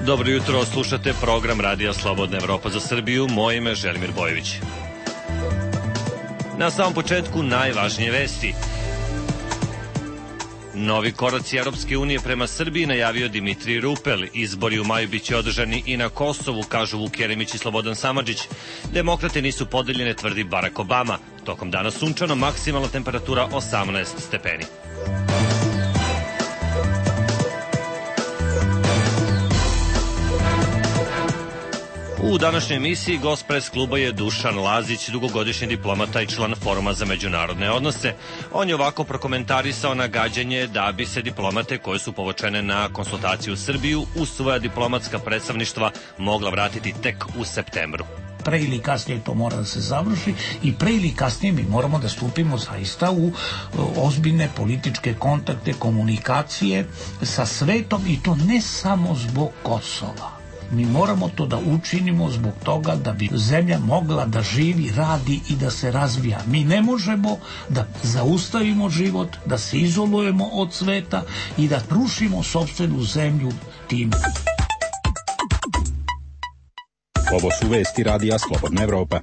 Dobro jutro, slušate program Radija Slobodna Evropa za Srbiju. Moje ime je Želimir Bojević. Na samom početku najvažnije vesti. Novi koraci Europske unije prema Srbiji najavio Dimitrij Rupel. Izbori u maju biće održani i na Kosovu, kažu Vuk Jeremić i Slobodan Samardžić. Demokrate nisu podeljene, tvrdi Barack Obama. Tokom dana sunčano, maksimalna temperatura 18 stepeni. U današnjoj emisiji gost pres kluba je Dušan Lazić, dugogodišnji diplomata i član Foruma za međunarodne odnose. On je ovako prokomentarisao nagađanje da bi se diplomate koje su povučene na konsultaciju u Srbiju u svoja diplomatska predstavništva mogla vratiti tek u septembru. Pre ili kasnije to mora da se završi i pre ili kasnije mi moramo da stupimo zaista u ozbiljne političke kontakte, komunikacije sa svetom i to ne samo zbog Kosova. Mi moramo to da učinimo zbog toga da bi zemlja mogla da živi, radi i da se razvija. Mi ne možemo da zaustavimo život, da se izolujemo od sveta i da rušimo sopstvenu zemlju tim. Ovo su vesti Radija Slobodna Evropa.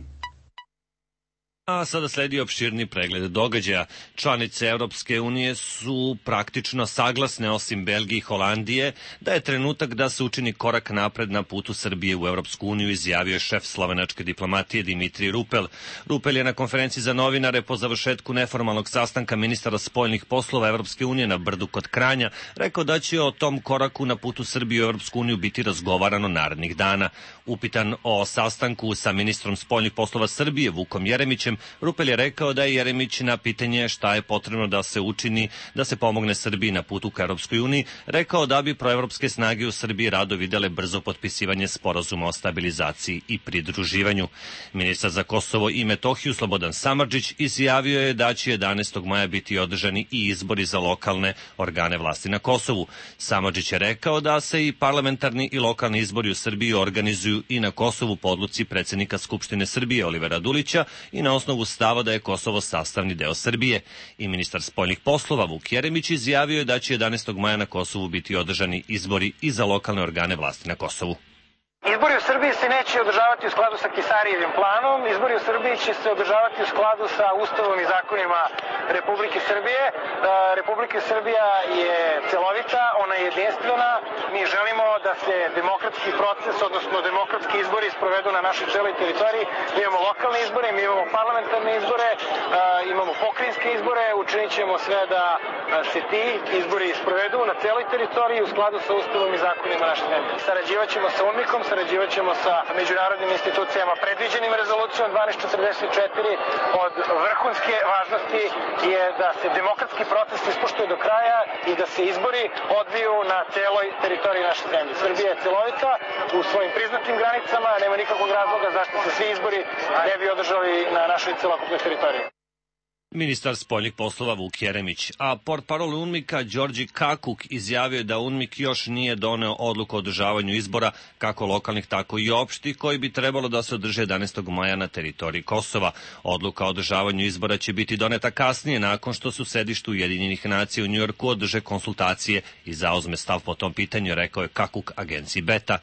A sada sledi opširni pregled događaja. Članice Europske unije su praktično saglasne, osim Belgije i Holandije, da je trenutak da se učini korak napred na putu Srbije u Europsku uniju, izjavio je šef slovenačke diplomatije Dimitrij Rupel. Rupel je na konferenciji za novinare po završetku neformalnog sastanka ministara spoljnih poslova Europske unije na Brdu kod Kranja rekao da će o tom koraku na putu Srbije u Europsku uniju biti razgovarano narednih dana. Upitan o sastanku sa ministrom spoljnih poslova Srbije Vukom Jeremićem, Rupel je rekao da je Jeremić na pitanje šta je potrebno da se učini da se pomogne Srbiji na putu ka Europskoj uniji, rekao da bi proevropske snage u Srbiji rado videle brzo potpisivanje sporazuma o stabilizaciji i pridruživanju. Ministar za Kosovo i Metohiju Slobodan Samardžić izjavio je da će 11. maja biti održani i izbori za lokalne organe vlasti na Kosovu. Samardžić je rekao da se i parlamentarni i lokalni izbori u Srbiji organizuju i na Kosovu po odluci predsjednika Skupštine Srbije Olivera Dulića i na osnovu stava da je Kosovo sastavni deo Srbije. I ministar spoljnih poslova Vuk Jeremić izjavio je da će 11. maja na Kosovu biti održani izbori i za lokalne organe vlasti na Kosovu. Izbori u Srbiji se neće održavati u skladu sa Kisarijevim planom, izbori u Srbiji će se održavati u skladu sa Ustavom i zakonima Republike Srbije. Republika Srbija je celovita, ona je jedinstvena, mi želimo da se demokratski proces, odnosno demokratski izbori sprovedu na našoj celoj teritoriji. Mi imamo lokalne izbore, mi imamo parlamentarne izbore, imamo pokrajinske izbore, učinit ćemo sve da se ti izbori sprovedu na celoj teritoriji u skladu sa Ustavom i zakonima naše zemlje. Sarađivat ćemo sa UNMIK-om, sarađivat ćemo sa međunarodnim institucijama predviđenim rezolucijom 1244. Od vrhunske važnosti je da se demokratski proces ispoštuje do kraja i da se izbori odviju na celoj teritoriji naše zemlje. Srbija je celovita u svojim priznatim granicama, nema nikakvog razloga zašto se svi izbori ne bi održali na našoj celokupnoj teritoriji. Ministar spoljnih poslova Vuk Jeremić, a portparol UNMIK-a Đorđe Kakuk izjavio je da UNMIK još nije doneo odluku o održavanju izbora, kako lokalnih, tako i opštih, koji bi trebalo da se održe 11. maja na teritoriji Kosova. Odluka o održavanju izbora će biti doneta kasnije, nakon što su sedištu Ujedinjenih nacija u Njujorku održe konsultacije i zauzme stav po tom pitanju, rekao je Kakuk agenciji Beta.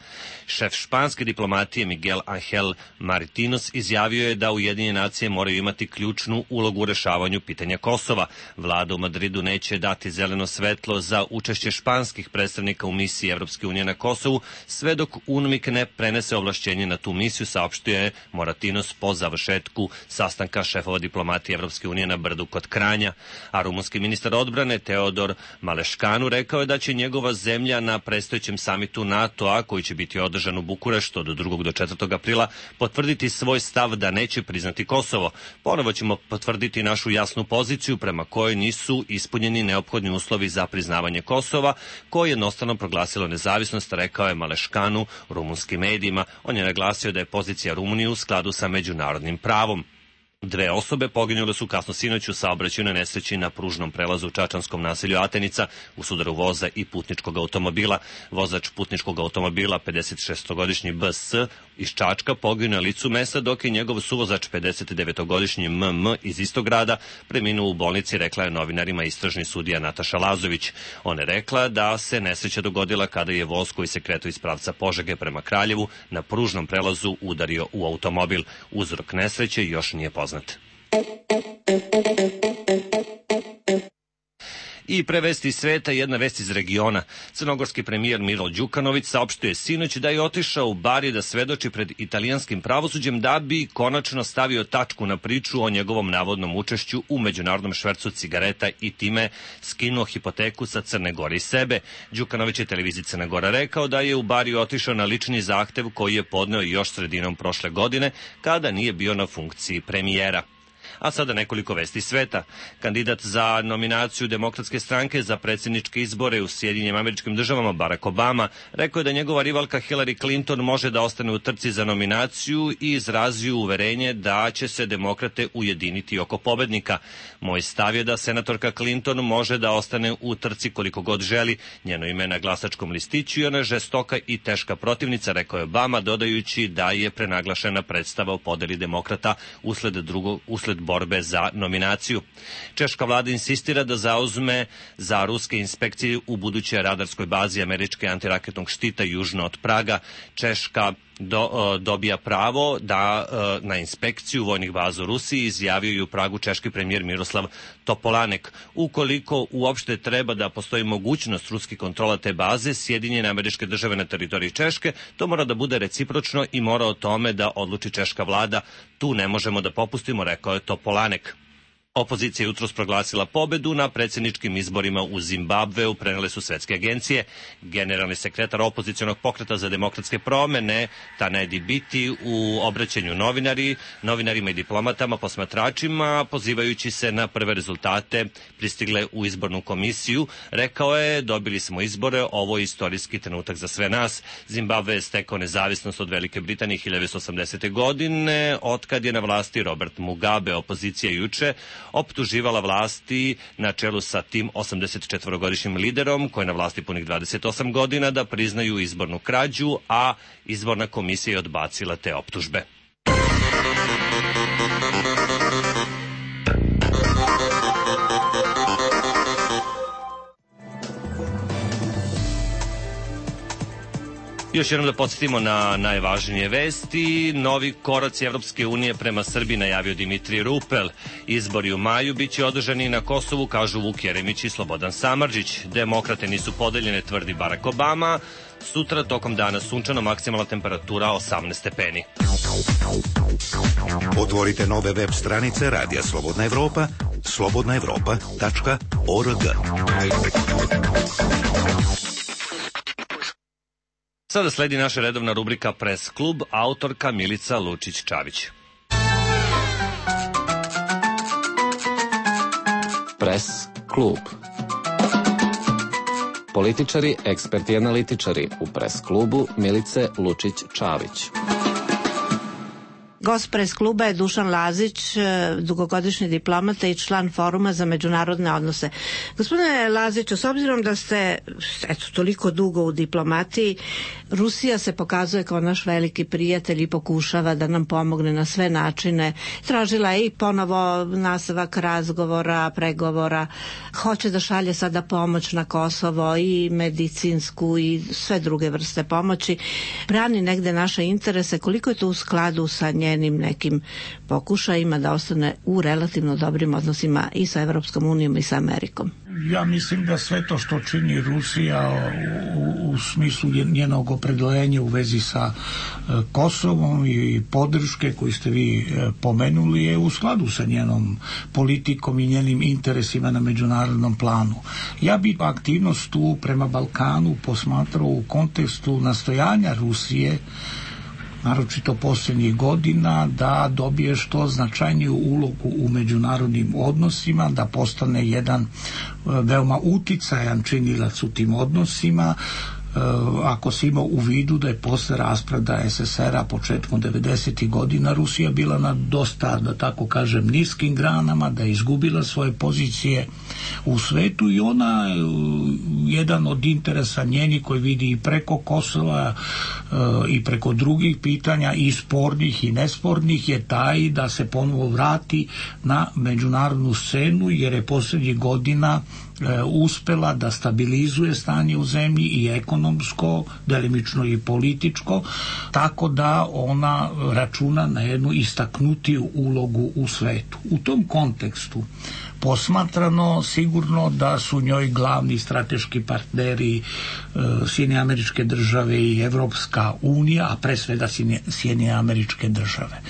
Šef španske diplomatije Miguel Angel Maritinos izjavio je da Ujedinjene nacije moraju imati ključnu ulogu u rešavanju pitanja Kosova. Vlada u Madridu neće dati zeleno svetlo za učešće španskih predstavnika u misiji Evropske unije na Kosovu, sve dok UNMIK ne prenese ovlašćenje na tu misiju, saopštio je Moratinos po završetku sastanka šefova diplomatije Evropske unije na Brdu kod Kranja. A rumunski ministar odbrane Teodor Maleškanu rekao je da će njegova zemlja na predstojećem samitu NATO-a, koji će biti održan u Bukureštu od 2. do 4. aprila, potvrditi svoj stav da neće priznati Kosovo. Ponovo ćemo potvrditi našu jasnu poziciju prema kojoj nisu ispunjeni neophodni uslovi za priznavanje Kosova, koje je jednostavno proglasilo nezavisnost, rekao je Maleškanu rumunskim medijima. On je naglasio da je pozicija Rumunije u skladu sa međunarodnim pravom. 2 osobe poginule su kasno sinoć u saobraćajnoj nesreći na pružnom prelazu u čačanskom naselju Atenica u sudaru voza i putničkog automobila. Vozač putničkog automobila, 56-godišnji BS iz Čačka, poginuo na licu mesta, dok je njegov suvozač, 59-godišnji MM iz istog grada, preminuo u bolnici, rekla je novinarima istražni sudija Nataša Lazović. Ona je rekla da se nesreća dogodila kada je voz koji se kretao iz pravca Požege prema Kraljevu na pružnom prelazu udario u automobil. Uzrok nesreće još nije poznat. I pre vesti iz sveta, jedna vest iz regiona. Crnogorski premijer Milo Đukanović saopštio je sinoć da je otišao u Bari da svedoči pred italijanskim pravosuđem da bi konačno stavio tačku na priču o njegovom navodnom učešću u međunarodnom švercu cigareta i time skinuo hipoteku sa Crne Gore i sebe. Đukanović je televiziji Crne Gora rekao da je u Bari otišao na lični zahtev koji je podneo još sredinom prošle godine kada nije bio na funkciji premijera. A sada nekoliko vesti sveta. Kandidat za nominaciju Demokratske stranke za predsjedničke izbore u Sjedinjenim Američkim Državama, Barack Obama, rekao je da njegova rivalka Hillary Clinton može da ostane u trci za nominaciju i izrazio uverenje da će se demokrate ujediniti oko pobednika. Moj stav je da senatorka Clinton može da ostane u trci koliko god želi. Njeno ime na glasačkom listiću i ona je žestoka i teška protivnica, rekao je Obama, dodajući da je prenaglašena predstava o podeli demokrata usled borbe za nominaciju. Češka vlada insistira da zauzme za ruske inspekcije u budućoj radarskoj bazi američke antiraketnog štita južno od Praga. Češka dobija pravo da na inspekciju vojnih baza u Rusiji, izjavio i u Pragu češki premijer Miroslav Topolanek. Ukoliko uopšte treba da postoji mogućnost ruskih kontrola te baze, Sjedinjene Američke Države na teritoriji Češke, to mora da bude recipročno i mora o tome da odluči češka vlada. Tu ne možemo da popustimo, rekao je Topolanek. Opozicija je jutros proglasila pobedu na predsjedničkim izborima u Zimbabveu, prenele su svetske agencije. Generalni sekretar opozicionog pokreta za demokratske promene, Tanedi Biti, u obraćanju novinarima i diplomatama, posmatračima, pozivajući se na prve rezultate pristigle u izbornu komisiju, rekao je: dobili smo izbore, ovo je istorijski trenutak za sve nas. Zimbabve je stekao nezavisnost od Velike Britanije 1980. godine, otkad je na vlasti Robert Mugabe. Opozicija juče optuživala vlasti na čelu sa tim 84-godišnjim liderom, koji je na vlasti punih 28 godina, da priznaju izbornu krađu, a izborna komisija je odbacila te optužbe. Još jednom da podsjetimo na najvažnije vesti. Novi koraci Evropske unije prema Srbiji najavio Dimitrij Rupel. Izbori u maju biće održani na Kosovu, kažu Vuk Jeremić i Slobodan Samardžić. Demokrate nisu podeljene, tvrdi Barack Obama. Sutra tokom dana sunčano, maksimalna temperatura 18 stepeni. Otvorite nove web stranice Radija Slobodna Evropa, slobodnaevropa.org. Sada sledi naša redovna rubrika Press klub, autorka Milica Lučić-Čavić. Press klub. Političari, eksperti i analitičari u Press klubu Milice Lučić-Čavić. Gost Press kluba je Dušan Lazić, dugogodišnji diplomata i član Foruma za međunarodne odnose. Gospodine Laziću, s obzirom da ste toliko dugo u diplomatiji, Rusija se pokazuje kao naš veliki prijatelj i pokušava da nam pomogne na sve načine. Tražila je i ponovo nastavak razgovora, pregovora. Hoće da šalje sada pomoć na Kosovo, i medicinsku i sve druge vrste pomoći. Brani negde naše interese. Koliko je to u skladu sa njenim nekim pokušajima da ostane u relativno dobrim odnosima i sa Evropskom unijom i sa Amerikom? Ja mislim da sve to što čini Rusija u smislu njenog opredeljenja u vezi sa Kosovom i podrške koju ste vi pomenuli je u skladu sa njenom politikom i njenim interesima na međunarodnom planu. Ja bih aktivnost tu prema Balkanu posmatrao u kontekstu nastojanja Rusije, naročito posljednjih godina, da dobije što značajniju ulogu u međunarodnim odnosima, da postane jedan veoma uticajan činilac u tim odnosima. ako se ima u vidu da je posle raspada SSR-a početkom 90. godina Rusija bila na dosta, da tako kažem, niskim granama, da je izgubila svoje pozicije u svetu i ona, jedan od interesa njeni koji vidi i preko Kosova i preko drugih pitanja i spornih i nespornih je taj da se ponovo vrati na međunarodnu scenu, jer je posljednjih godina uspela da stabilizuje stanje u zemlji i ekonomsko, delimično i političko, tako da ona računa na jednu istaknutiju ulogu u svetu. U tom kontekstu posmatrano, sigurno da su njoj glavni strateški partneri Sjedinjene Američke Države i Evropska unija, a pre svega Sjedinjene Američke Države.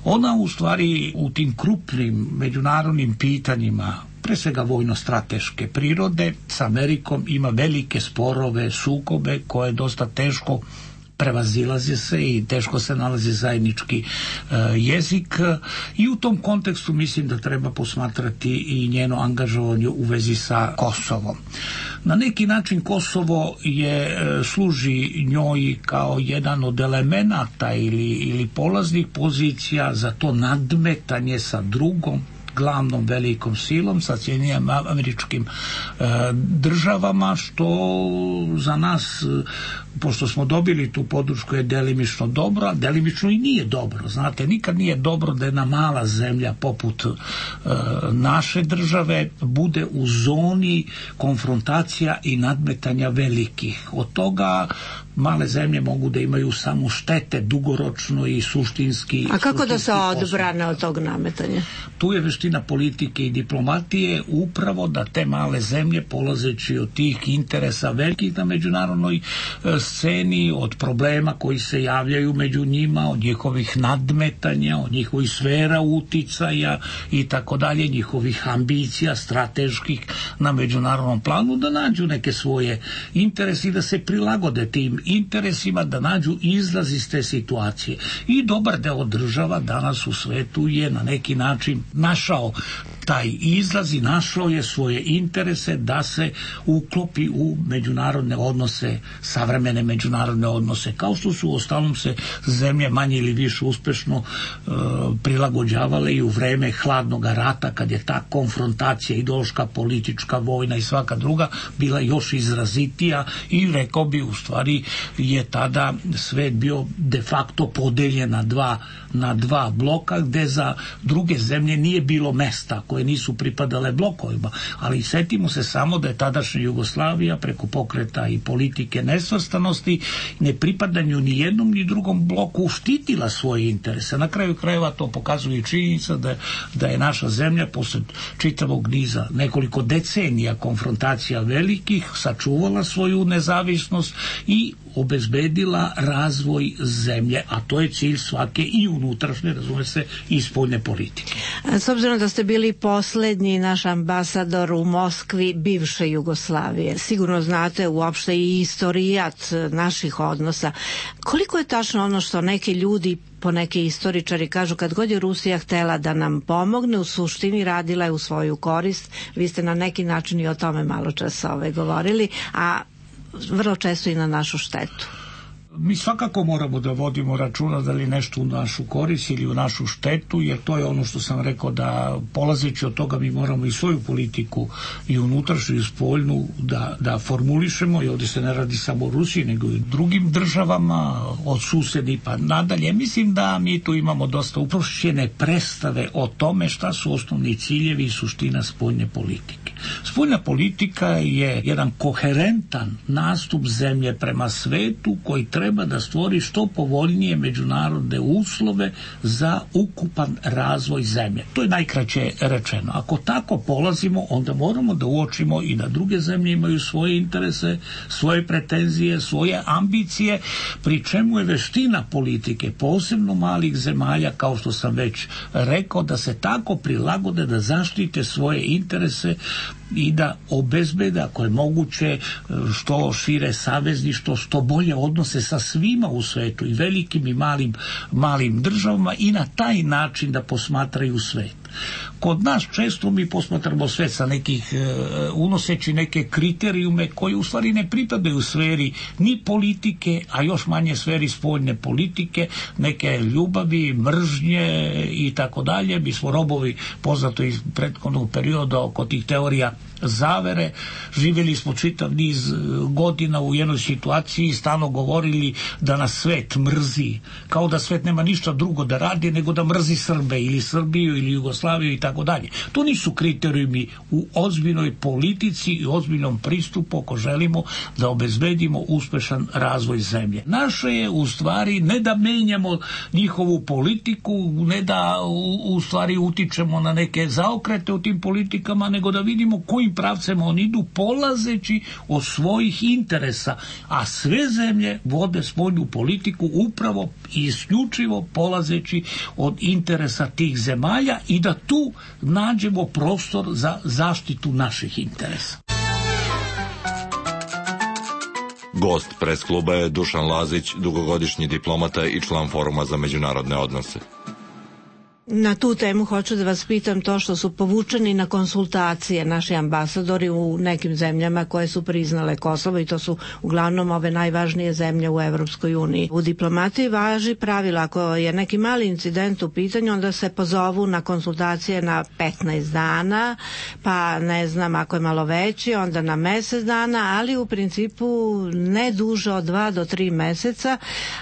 Ona u stvari u tim krupnim međunarodnim pitanjima, pre svega vojno-strateške prirode, s Amerikom ima velike sporove, sukobe koje je dosta teško prevazilaze se i teško se nalazi zajednički jezik i u tom kontekstu mislim da treba posmatrati i njeno angažovanje u vezi sa Kosovom. Na neki način Kosovo služi njoj kao jedan od elemenata ili polaznih pozicija za to nadmetanje sa drugom glavnom velikom silom, sa Sjedinjenim Američkim Državama, što za nas, pošto smo dobili tu podršku, je delimično dobro, a delimično i nije dobro. Znate, nikad nije dobro da jedna mala zemlja poput naše države bude u zoni konfrontacija i nadmetanja velikih. Od toga male zemlje mogu da imaju samo štete dugoročno i suštinski. A kako da se odbrane od tog nametanja? Tu je veština politike i diplomatije upravo da te male zemlje, polazeći od tih interesa velikih na međunarodnoj sceni, od problema koji se javljaju među njima, od njihovih nadmetanja, od njihovih sfera uticaja i tako dalje, njihovih ambicija strateških na međunarodnom planu, da nađu neke svoje interese i da se prilagode tim interesima, da nađu izlaz iz te situacije. I dobar deo država danas u svetu je na neki način našao taj izlaz i našao je svoje interese da se uklopi u međunarodne odnose, savremene međunarodne odnose, kao što su ostalom se zemlje manje ili više uspešno prilagođavale i u vreme hladnog rata, kad je ta konfrontacija ideološka, politička, vojna i svaka druga bila još izrazitija i rekao bi u stvari je tada svet bio de facto podeljen na dva bloka, gde za druge zemlje nije bilo mesta koje nisu pripadale blokovima, ali setimo se samo da je tadašnja Jugoslavija preko pokreta i politike nesvrstanosti, ne pripadanju ni jednom ni drugom bloku štitila svoje interese. Na kraju krajeva to pokazuje i činjenica da je naša zemlja posle čitavog niza nekoliko decenija konfrontacija velikih sačuvala svoju nezavisnost i obezbedila razvoj zemlje, a to je cilj svake i unutrašnje, razume se, i spoljne politike. S obzirom da ste bili poslednji naš ambasador u Moskvi bivše Jugoslavije, sigurno znate uopšte i istorijat naših odnosa. Koliko je tačno ono što neki ljudi, po neki istoričari kažu, kad god je Rusija htela da nam pomogne, u suštini radila je u svoju korist? Vi ste na neki način i o tome malo čas govorili, a vrlo često i na našu štetu. Mi svakako moramo da vodimo računa da li nešto u našu korist ili u našu štetu, jer to je ono što sam rekao, da polazeći od toga mi moramo i svoju politiku i unutrašnju i spoljnu da formulišemo, i ovdje se ne radi samo o Rusiji nego i drugim državama, od susedi pa nadalje. Mislim da mi tu imamo dosta uprošćene predstave o tome šta su osnovni ciljevi i suština spoljne politike. Spoljna politika je jedan koherentan nastup zemlje prema svetu koji treba da stvori što povoljnije međunarodne uslove za ukupan razvoj zemlje. To je najkraće rečeno. Ako tako polazimo, onda moramo da uočimo i da druge zemlje imaju svoje interese, svoje pretenzije, svoje ambicije, pri čemu je veština politike, posebno malih zemalja, kao što sam već rekao, da se tako prilagode da zaštite svoje interese i da obezbede, ako je moguće, što šire savezništvo, što bolje odnose sa svima u svetu, i velikim i malim državama, i na taj način da posmatraju svet. Kod nas često mi posmatramo sve sa nekih, unoseći neke kriterijume koji u stvari ne pripadaju sferi ni politike, a još manje sferi spoljne politike, neke ljubavi, mržnje i tako dalje. Mi smo robovi, poznato iz prethodnog perioda, oko tih teorija zavere. Živjeli smo čitav niz godina u jednoj situaciji i stalno govorili da nas svet mrzi, kao da svet nema ništa drugo da radi nego da mrzi Srbe ili Srbiju ili Jugoslaviju i tako dalje. To nisu kriterijumi u ozbiljnoj politici i ozbiljnom pristupu ako želimo da obezbedimo uspešan razvoj zemlje. Naše je u stvari ne da menjamo njihovu politiku, ne da u stvari utičemo na neke zaokrete u tim politikama, nego da vidimo kojim pravcem oni idu polazeći od svojih interesa, a sve zemlje vode spoljnu politiku upravo i isključivo polazeći od interesa tih zemalja i da tu nađemo prostor za zaštitu naših interesa. Gost pres kluba je Dušan Lazić, dugogodišnji diplomata i član Foruma za međunarodne odnose. Na tu temu hoću da vas pitam to što su povučeni na konsultacije naši ambasadori u nekim zemljama koje su priznale Kosovo i to su uglavnom ove najvažnije zemlje u Evropskoj uniji. U diplomatiji važi pravilo, ako je neki mali incident u pitanju, onda se pozovu na konsultacije na 15 dana, pa ne znam, ako je malo veći, onda na mesec dana, ali u principu ne duže od 2 do 3 meseca,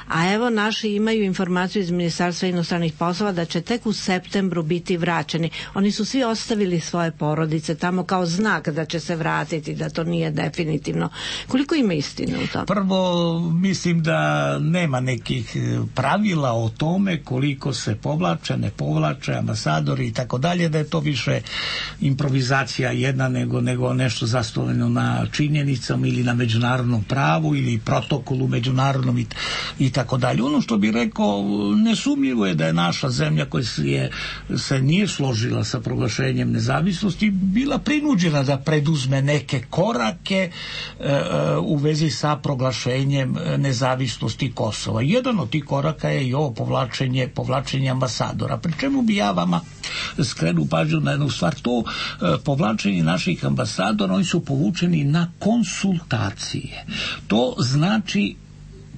a evo naši imaju informaciju iz Ministarstva inostranih poslova da će tek u septembru biti vraćeni. Oni su svi ostavili svoje porodice tamo kao znak da će se vratiti, da to nije definitivno. Koliko ima istine u tom? Prvo, mislim da nema nekih pravila o tome koliko se povlače, ne povlače, ambasadori i tako dalje, da je to više improvizacija jedna nego nešto zasnovano na činjenicama ili na međunarodnom pravu ili protokolu međunarodnom i tako dalje. Ono što bih rekao, nesumnjivo je da je naša zemlja koja se nije složila sa proglašenjem nezavisnosti bila prinuđena da preduzme neke korake u vezi sa proglašenjem nezavisnosti Kosova. Jedan od tih koraka je i ovo povlačenje ambasadora. Pri čemu bi ja vama skrenuo pažnju na jednu stvar, to povlačenje naših ambasadora, oni su povučeni na konsultacije. To znači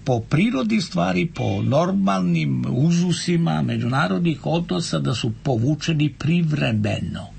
po prirodi stvari, po normalnim uzusima međunarodnih odnosa da su povučeni privremeno.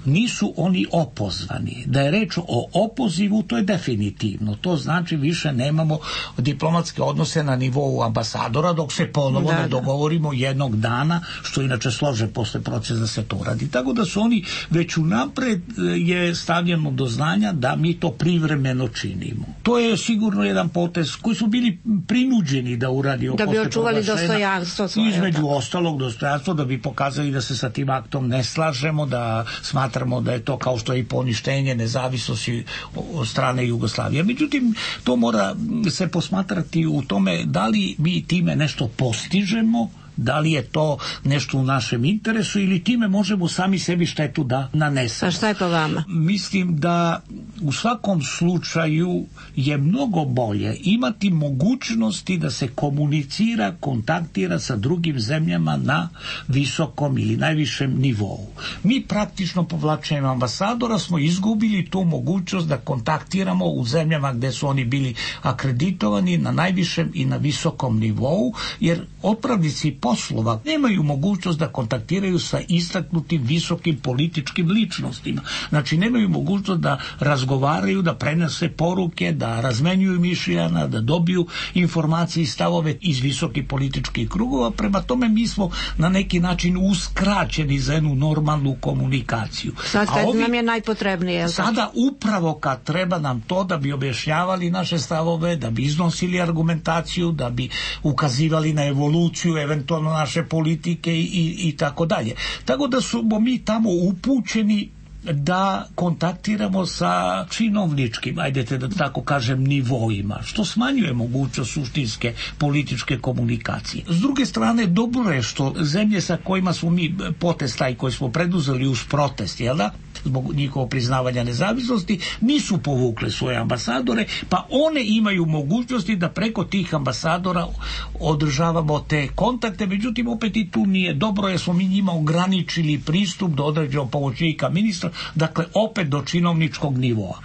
Nisu oni opozvani. Da je reč o opozivu, to je definitivno. To znači više nemamo diplomatske odnose na nivou ambasadora dok se ponovo ne dogovorimo jednog dana, što inače slože posle procesa da se to radi. Tako da su oni već unapred je stavljeno do znanja da mi to privremeno činimo. To je sigurno jedan potez koji su bili prinuđeni da uradimo da bi očuvali dostojanstvo svoje. Između ostalog dostojanstvo, da bi pokazali da se sa tim aktom ne slažemo, da smatramo da je to kao što je i poništenje nezavisnosti od strane Jugoslavije. Međutim, to mora se posmatrati u tome da li mi time nešto postižemo, da li je to nešto u našem interesu ili time možemo sami sebi štetu da nanesemo. A šta je po vama? Mislim da u svakom slučaju je mnogo bolje imati mogućnosti da se komunicira, kontaktira sa drugim zemljama na visokom ili najvišem nivou. Mi praktično povlačenjem ambasadora smo izgubili tu mogućnost da kontaktiramo u zemljama gde su oni bili akreditovani na najvišem i na visokom nivou, jer otpravnici poslova nemaju mogućnost da kontaktiraju sa istaknutim visokim političkim ličnostima. Znači nemaju mogućnost da razgovaraju, da prenose poruke, da razmenjuju mišljenja, da dobiju informacije i stavove iz visokih političkih krugova. Prema tome mi smo na neki način uskraćeni za jednu normalnu komunikaciju. Sad kad nam je najpotrebnije. Sada upravo kad treba nam to da bi objašnjavali naše stavove, da bi iznosili argumentaciju, da bi ukazivali na evoluciju eventualno naše politike i tako dalje. Tako da smo mi tamo upućeni da kontaktiramo sa činovničkim, ajdete da tako kažem, nivoima, što smanjuje mogućnost suštinske političke komunikacije. S druge strane, dobro je što zemlje sa kojima smo mi potez taj koji smo preduzeli uz protest, jel da, zbog njihovog priznavanja nezavisnosti, nisu povukle svoje ambasadore, pa one imaju mogućnosti da preko tih ambasadora održavamo te kontakte. Međutim, opet i tu nije dobro, jer smo mi njima ograničili pristup do određenog pomoćnika ministra, dakle opet do činovničkog nivoa.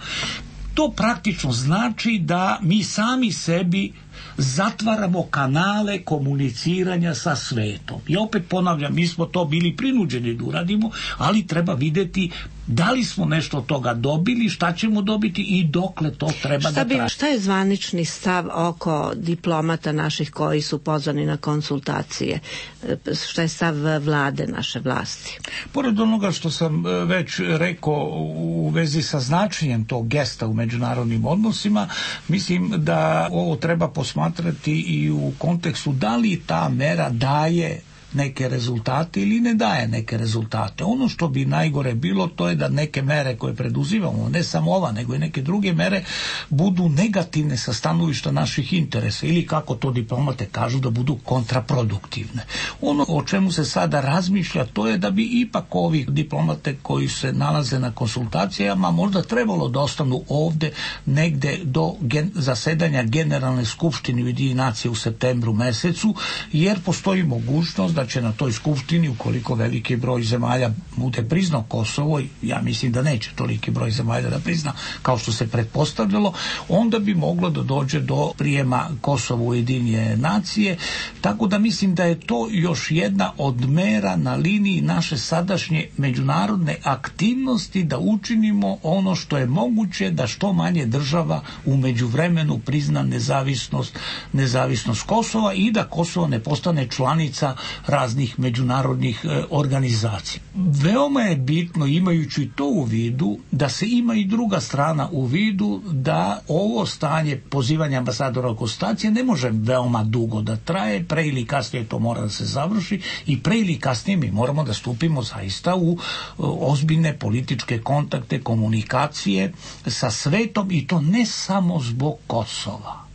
To praktično znači da mi sami sebi zatvaramo kanale komuniciranja sa svetom. I opet ponavljam, mi smo to bili prinuđeni da uradimo, ali treba vidjeti da li smo nešto od toga dobili, šta ćemo dobiti i dokle to treba da traje. Šta je zvanični stav oko diplomata naših koji su pozvani na konsultacije? Šta je stav vlade, naše vlasti? Pored onoga što sam već rekao u vezi sa značenjem tog gesta u međunarodnim odnosima, mislim da ovo treba posmatrati i u kontekstu da li ta mera daje neke rezultate ili ne daje neke rezultate. Ono što bi najgore bilo, to je da neke mere koje preduzimamo, ne samo ova, nego i neke druge mere, budu negativne sa stanovišta naših interesa ili, kako to diplomate kažu, da budu kontraproduktivne. Ono o čemu se sada razmišlja, to je da bi ipak ovih diplomate koji se nalaze na konsultacijama možda trebalo da ostanu ovde negde do zasedanja Generalne skupštine Ujedinjenih nacija u septembru mesecu, jer postoji mogućnost da će na toj skupštini, ukoliko veliki broj zemalja bude priznao Kosovo, ja mislim da neće toliki broj zemalja da prizna kao što se pretpostavljalo, onda bi moglo da dođe do prijema Kosova u Ujedinjene nacije, tako da mislim da je to još jedna od mera na liniji naše sadašnje međunarodne aktivnosti, da učinimo ono što je moguće, da što manje država u međuvremenu prizna nezavisnost Kosova i da Kosovo ne postane članica raznih međunarodnih organizacija. Veoma je bitno, imajući to u vidu, da se ima i druga strana u vidu, da ovo stanje pozivanja ambasadora u konsultacije ne može veoma dugo da traje, pre ili kasnije to mora da se završi i pre ili kasnije mi moramo da stupimo zaista u ozbiljne političke kontakte, komunikacije sa svetom, i to ne samo zbog Kosova.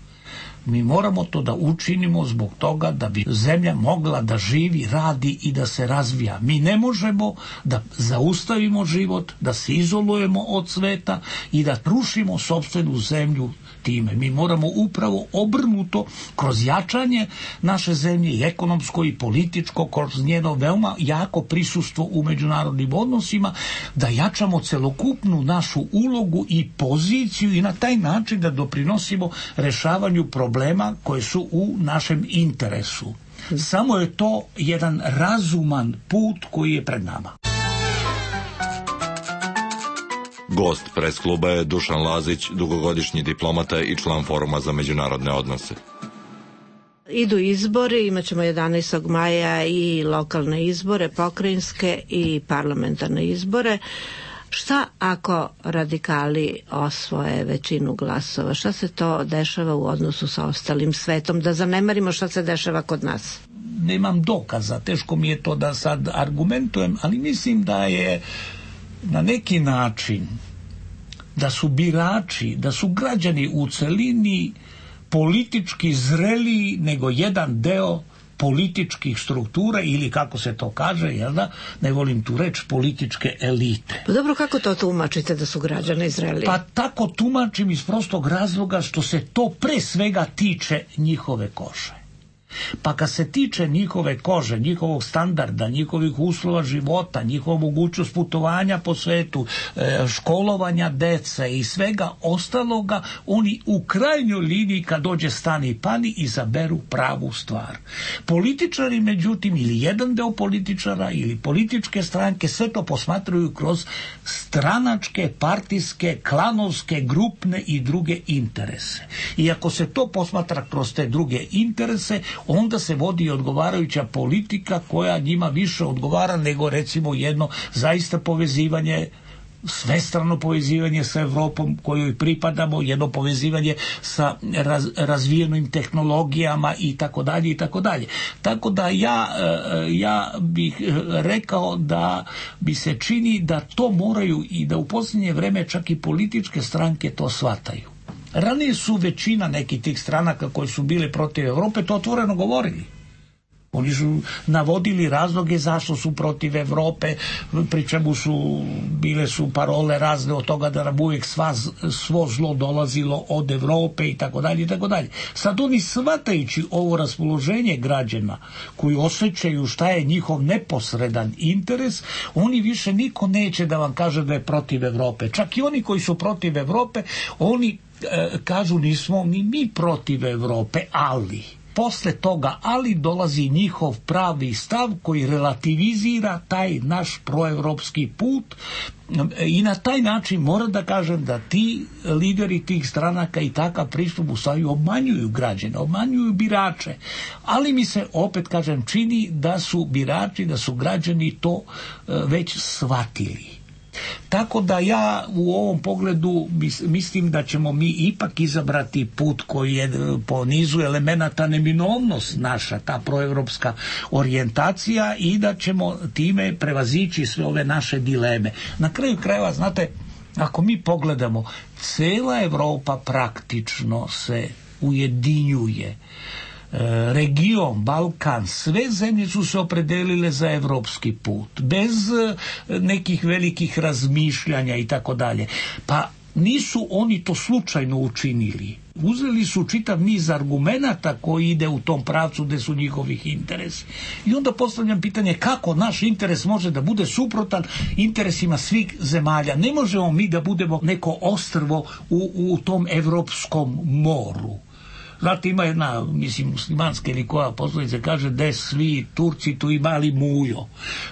Mi moramo to da učinimo zbog toga da bi zemlja mogla da živi, radi i da se razvija. Mi ne možemo da zaustavimo život, da se izolujemo od sveta i da rušimo sopstvenu zemlju time. Mi moramo upravo obrnuto, kroz jačanje naše zemlje, i ekonomsko i političko, kroz njeno veoma jako prisustvo u međunarodnim odnosima, da jačamo celokupnu našu ulogu i poziciju i na taj način da doprinosimo rešavanju problema koje su u našem interesu. Samo je to jedan razuman put koji je pred nama. Gost pres kluba je Dušan Lazić, dugogodišnji diplomata i član Foruma za međunarodne odnose. Idu izbori, imat ćemo 11. maja i lokalne izbore, pokrajinske i parlamentarne izbore. Šta ako radikali osvoje većinu glasova? Šta se to dešava u odnosu sa ostalim svetom? Da zanemarimo šta se dešava kod nas. Nemam dokaza, teško mi je to da sad argumentujem, ali mislim da je na neki način da su birači, da su građani u celini politički zreliji nego jedan deo političkih struktura, ili kako se to kaže, jel da, ne volim tu reč, političke elite. Pa dobro, kako to tumačite da su građani zreliji? Pa tako tumačim iz prostog razloga što se to pre svega tiče njihove kože. Pa kad se tiče njihove kože, njihovog standarda, njihovih uslova života, njihova mogućnost putovanja po svetu, školovanja dece i svega ostaloga, oni u krajnjoj liniji kad dođe stani i pani izaberu pravu stvar. Političari, međutim, ili jedan deo političara ili političke stranke sve to posmatraju kroz stranačke, partijske, klanovske, grupne i druge interese. I ako se to posmatra kroz te druge interese, onda se vodi odgovarajuća politika koja njima više odgovara nego recimo jedno zaista povezivanje, svestrano povezivanje sa Evropom kojoj pripadamo, jedno povezivanje sa razvijenim tehnologijama i tako dalje i tako dalje. Tako da ja bih rekao da bi se čini da to moraju i da u posljednje vreme čak i političke stranke to shvataju. Ranije su većina nekih tih stranaka koje su bile protiv Evrope to otvoreno govorili. Oni su navodili razloge zašto su protiv Evrope, pri čemu bile su parole razne od toga da nam uvijek svo zlo dolazilo od Evrope i tako dalje i tako dalje. Sad oni shvatajući ovo raspoloženje građana koji osjećaju šta je njihov neposredan interes, oni više niko neće da vam kaže da je protiv Evrope. Čak i oni koji su protiv Evrope, oni kažu nismo ni mi protiv Evrope, ali posle toga ali dolazi njihov pravi stav koji relativizira taj naš proevropski put i na taj način moram da kažem da ti lideri tih stranaka i takav pristup u stvari obmanjuju građane, obmanjuju birače, ali mi se opet kažem čini da su birači, da su građani to već shvatili. Tako da ja u ovom pogledu mislim da ćemo mi ipak izabrati put koji je po nizu elemenata neminovnost naša, ta proevropska orijentacija i da ćemo time prevazići sve ove naše dileme. Na kraju krajeva, znate, ako mi pogledamo, cela Evropa praktično se ujedinjuje. Region, Balkan, sve zemlje su se opredelile za evropski put, bez nekih velikih razmišljanja i tako dalje. Pa nisu oni to slučajno učinili. Uzeli su čitav niz argumenata koji ide u tom pravcu gde su njihovih interesi. I onda postavljam pitanje kako naš interes može da bude interesima svih zemalja. Ne možemo mi da budemo neko ostrvo u tom evropskom moru. Znate, ima jedna, muslimanska ili koja poslovica kaže da svi Turci tu i mali mujo.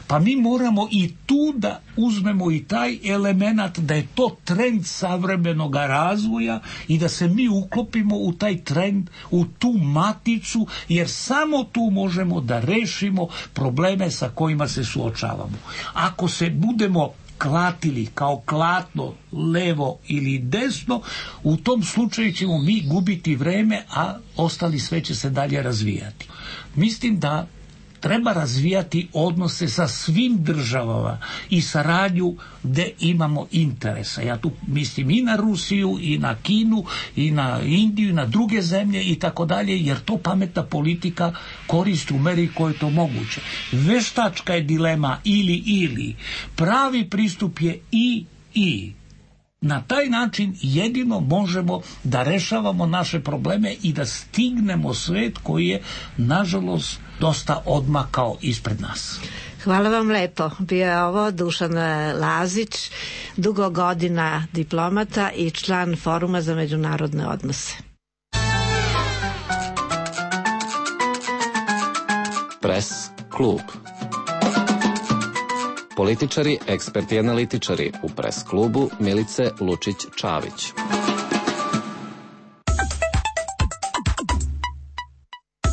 Pa mi moramo i tu da uzmemo i taj element da je to trend savremenog razvoja i da se mi uklopimo u taj trend, u tu maticu, jer samo tu možemo da rešimo probleme sa kojima se suočavamo. Ako se budemo klatili kao klatno levo ili desno, u tom slučaju ćemo mi gubiti vreme, a ostali sve će se dalje razvijati. Mislim da treba razvijati odnose sa svim državama i saradnju gde imamo interesa. Ja tu mislim i na Rusiju, i na Kinu, i na Indiju, i na druge zemlje i tako dalje, jer to pametna politika koristi u meri koje je to moguće. Veštačka je dilema ili. Pravi pristup je i. Na taj način jedino možemo da rešavamo naše probleme i da stignemo svet koji je, nažalost, dosta odmakao ispred nas. Hvala vam lepo. Bio je ovo Dušan Lazić, dugo godina diplomata i član Foruma za međunarodne odnose. Pres klub. Političari, eksperti i analitičari u Pres klubu Milice Lučić-Čavić.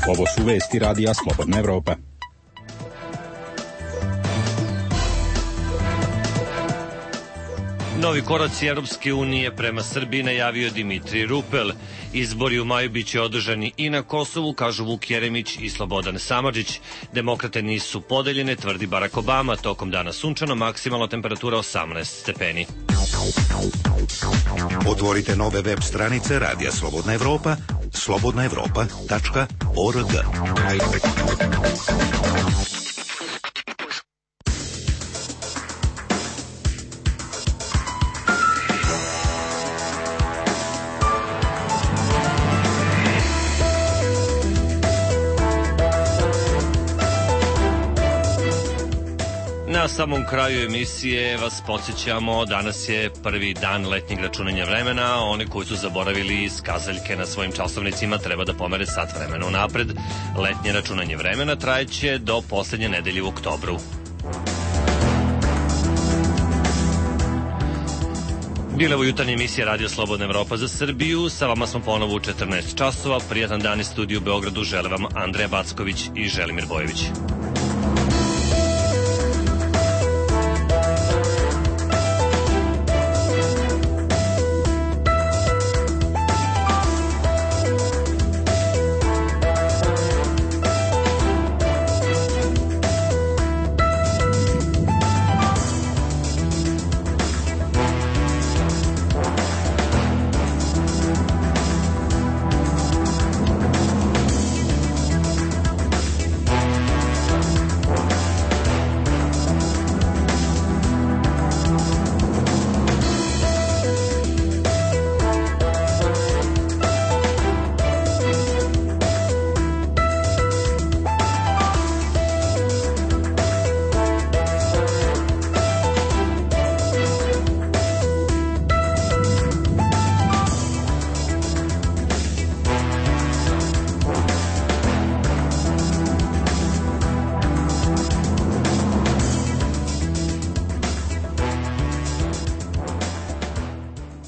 Ovo su vesti Radija Slobodna Evropa. Novi koraci Europske unije prema Srbiji najavio Dimitrij Rupel. Izbori u maju biće održani i na Kosovu, kažu Vuk Jeremić i Slobodan Samardžić. Demokrate nisu podeljene, tvrdi Barack Obama. Tokom dana sunčano, maksimalna temperatura 18 stepeni. Otvorite nove web stranice Radija Slobodna Evropa, slobodnaevropa.org. Na samom kraju emisije vas podsjećamo, danas je prvi dan letnjeg računanja vremena. Oni koji su zaboravili skazaljke na svojim časovnicima treba da pomere sat vremena unapred. Letnje računanje vremena trajeće do poslednje nedelje u oktobru. Bila ovo jutarnja emisija Radio Slobodna Evropa za Srbiju. Sa vama smo ponovo u 14 časova. Prijatan dan iz studiju u Beogradu žele vam Andreja Backović i Želimir Bojević.